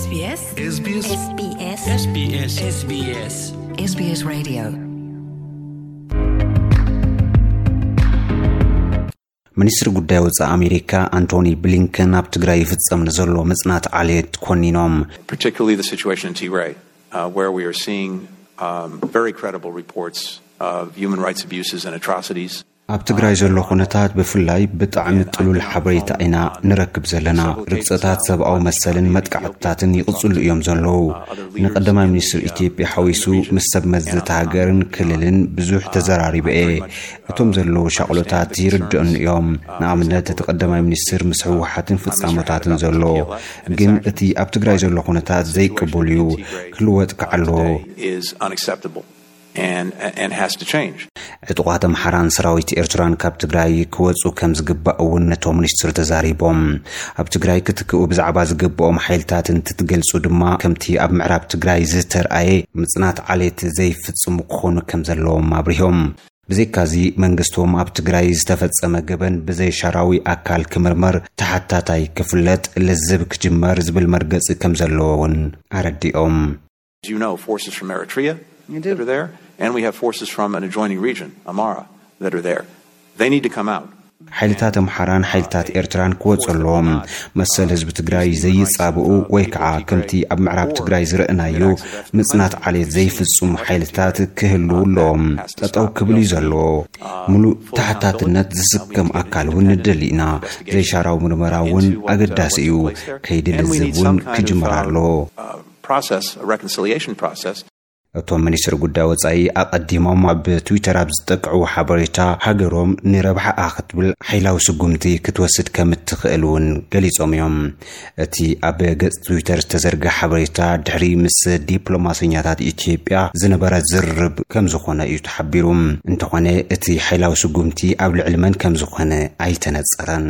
S B S. S B S. S B S. S B S. S B S. S B S Radio. ሚኒስትሪ ጉዳይ ወፃኢ ኣሜሪካ ኣንቶኒ ብሊንከን ኣብ ትግራይ ይፍፀም ንዘሎ ምፅናት ዓሌት ኮኒኖም። particularly the situation in Tigray, uh, where we are seeing um, very credible reports of human rights abuses and atrocities. ኣብ ትግራይ ዘሎ ኩነታት ብፍላይ ብጣዕሚ ጥሉል ሓበሬታ ኢና ንረክብ ዘለና። ርግፀታት ሰብኣዊ መሰልን መጥቃዕትታትን ይቕፅሉ እዮም ዘለዉ። ንቀዳማይ ሚኒስትር ኢትዮጵያ ሓዊሱ ምስ ሰብ መዚ እታ ሃገርን ክልልን ብዙሕ ተዘራሪበ እየ። እቶም ዘለዉ ሻቕሎታት ይርድኡኒ እዮም። ንኣብነት እቲ ቀዳማይ ሚኒስትር ምስ ህወሓትን ፍፃሞታትን ዘሎ፣ ግን እቲ ኣብ ትግራይ ዘሎ ኩነታት ዘይቅቡል እዩ፣ ክልወጥ ከዓ ኣለዎ። Is unacceptable and and has to change. ዕጡቓት ኣምሓራን ሰራዊት ኤርትራን ካብ ትግራይ ክወፁ ከም ዝግባእ እውን ነቶም ሚኒስትር ተዛሪቦም። ኣብ ትግራይ ክትክኡ ብዛዕባ ዝግብኦም ሓይልታት እንትትገልፁ ድማ ከምቲ ኣብ ምዕራብ ትግራይ ዝተርኣየ ምፅናት ዓሌት ዘይፍፅሙ ክኾኑ ከም ዘለዎም ኣብሪሆም። ብዘይካዚ መንግስቶም ኣብ ትግራይ ዝተፈፀመ ገበን ብዘይሻራዊ ኣካል ክምርመር፣ ተሓታታይ ክፍለጥ፣ ልዝብ ክጅመር ዝብል መርገፂ ከም ዘለዎ እውን ኣረዲኦም። As you know, forces from Eritrea that are there, and we have forces from an adjoining region, Amara, that are there. They need to come out. ሓይልታት ኣምሓራን ሓይልታት ኤርትራን ክወፁ ኣለዎም። መሰል ህዝቢ ትግራይ ዘይፃብኡ ወይ ከዓ ከምቲ ኣብ ምዕራብ ትግራይ ዝረእናዮ ምፅናት ዓሌት ዘይፍፁሙ ሓይልታት ክህልዉ ኣለዎም። ጠጠው ክብል እዩ ዘለዎ። ሙሉእ ተሓታትነት ዝስከም ኣካል እውን ንደሊ ኢና። ዘይሻራዊ ምርመራ እውን ኣገዳሲ እዩ። ከይዲ ልዝብ እውን ክጅመር ኣለዎ። Process, a reconciliation process. እቶም ሚኒስትር ጉዳይ ወፃኢ ኣቐዲሞም ኣብ ትዊተር ኣብ ዝጠቅዕዎ ሓበሬታ፣ ሃገሮም ንረብሓኣ ክትብል ሓይላዊ ስጉምቲ ክትወስድ ከም እትኽእል እውን ገሊፆም እዮም። እቲ ኣብ ገፅ ትዊተር ዝተዘርግሐ ሓበሬታ ድሕሪ ምስ ዲፕሎማሰኛታት ኢትዮጵያ ዝነበረ ዝርርብ ከም ዝኾነ እዩ ተሓቢሩ። እንተኾነ እቲ ሓይላዊ ስጉምቲ ኣብ ልዕሊ መን ከም ዝኾነ ኣይተነፀረን።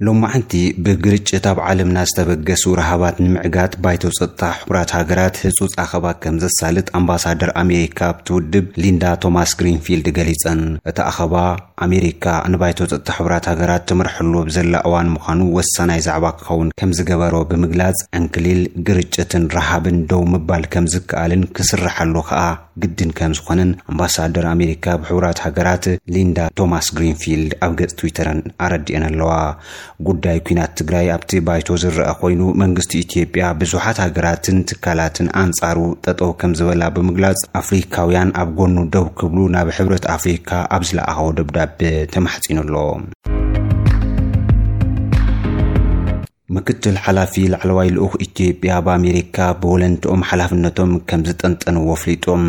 ሎማዕንቲ ብግርጭት ኣብ ዓለምና ዝተበገሱ ረሃባት ንምዕጋት ባይቶ ጸጥታ ሕቡራት ሃገራት ህጹጽ ኣኸባ ከም ዘሳልጥ ኣምባሳደር ኣሜሪካ ኣብቲ ውድብ ሊንዳ ቶማስ ግሪንፊልድ ገሊጸን። እቲ ኣኸባ ኣሜሪካ ንባይቶ ጸጥታ ሕቡራት ሃገራት ትምርሐሉ ኣብ ዘላ እዋን ምዃኑ ወሳናይ ዛዕባ ክኸውን ከም ዝገበሮ ብምግላጽ፣ ዕንክሊል፣ ግርጭትን ረሃብን ደው ምባል ከም ዝከኣልን ክስርሓሉ ከኣ ግድን ከም ዝኾነን ኣምባሳደር ኣሜሪካ ኣብ ሕቡራት ሃገራት ሊንዳ ቶማስ ግሪንፊልድ ኣብ ገጽ ትዊተረን ኣረዲአን ኣለዋ። ጉዳይ ኲናት ትግራይ ኣብቲ ባይቶ ዝረአ ኮይኑ፣ መንግስቲ ኢትዮጵያ ብዙሓት ሃገራትን ትካላትን ኣንጻሩ ጠጠው ከም ዝበላ ብምግላጽ፣ ኣፍሪካውያን ኣብ ጎኑ ደው ክብሉ ናብ ሕብረት ኣፍሪካ ኣብ ዝለኣኸዎ ደብዳቤ ተማሕጺኑ ኣሎ። ምክትል ሓላፊ ላዕለዋይ ልኡኽ ኢትዮጵያ ኣብ ኣሜሪካ ብወለንትኦም ሓላፍነቶም ከም ዝጠንጠንዎ ኣፍሊጦም።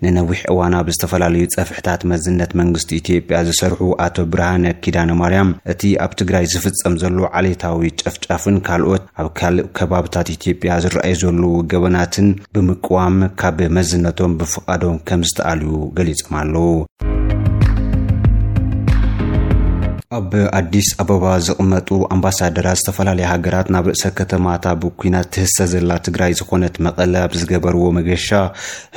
ንነዊሕ እዋን ኣብ ዝተፈላለዩ ጸፍሕታት መዝነት መንግስቲ ኢትዮጵያ ዝሰርሑ ኣቶ ብርሃነ ኪዳነ ማርያም፣ እቲ ኣብ ትግራይ ዝፍጸም ዘሎ ዓሌታዊ ጨፍጫፍን ካልኦት ኣብ ካልእ ከባብታት ኢትዮጵያ ዝረኣዩ ዘለዉ ገበናትን ብምቅዋም ካብ መዝነቶም ብፍቓዶም ከም ዝተኣልዩ ገሊጾም ኣለዉ። ኣብ ኣዲስ ኣበባ ዝቕመጡ ኣምባሳደራት ዝተፈላለያ ሃገራት ናብ ርእሰ ከተማታ ብኲናት ትህሰ ዘላ ትግራይ ዝኾነት መቐለ ኣብ ዝገበርዎ መገሻ፣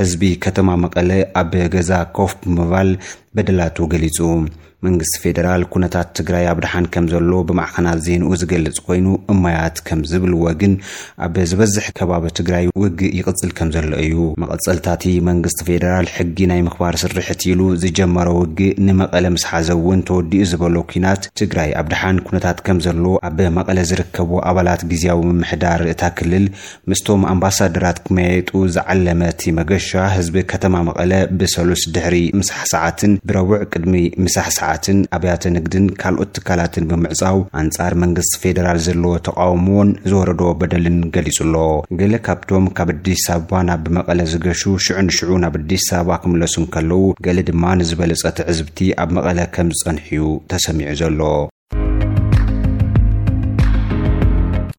ህዝቢ ከተማ መቐለ ኣብ ገዛ ኮፍ ብምባል በደላቱ ገሊጹ። መንግስቲ ፌደራል ኩነታት ትግራይ ኣብ ደሓን ከም ዘሎ ብማዕኸናት ዜንኡ ዝገልጽ ኮይኑ፣ እማያት ከም ዝብልዎ ግን ኣብ ዝበዝሕ ከባቢ ትግራይ ውግእ ይቕጽል ከም ዘሎ እዩ። መቐጸልታቲ መንግስቲ ፌደራል ሕጊ ናይ ምኽባር ስርሕት ኢሉ ዝጀመሮ ውግእ ንመቐለ ምስ ሓዘ እውን ተወዲኡ ዝበሎ ኲናት ትግራይ ኣብ ደሓን ኩነታት ከም ዘሎ ኣብ መቐለ ዝርከቡ ኣባላት ግዝያዊ ምምሕዳር እታ ክልል ምስቶም ኣምባሳደራት ክመያየጡ ዝዓለመ እቲ መገሻ ህዝቢ ከተማ መቐለ ብሰሉስ ድሕሪ ምሳሕ ሰዓትን ብረቡዕ ቅድሚ ምሳሕ ሰዓትን ኣብያተ ንግድን ካልኦት ትካላትን ብምዕጻው ኣንጻር መንግስቲ ፌደራል ዘለዎ ተቃውሞን ዝወረዶ በደልን ገሊጹ ኣሎ። ገለ ካብቶም ካብ ኣዲስ ኣበባ ናብ መቐለ ዝገሹ ሽዑ ንሽዑ ናብ ኣዲስ ኣበባ ክምለሱ እንከለዉ፣ ገለ ድማ ንዝበለጸ ትዕዝብቲ ኣብ መቐለ ከም ዝጸንሑ እዩ ተሰሚዑ ዘሎ።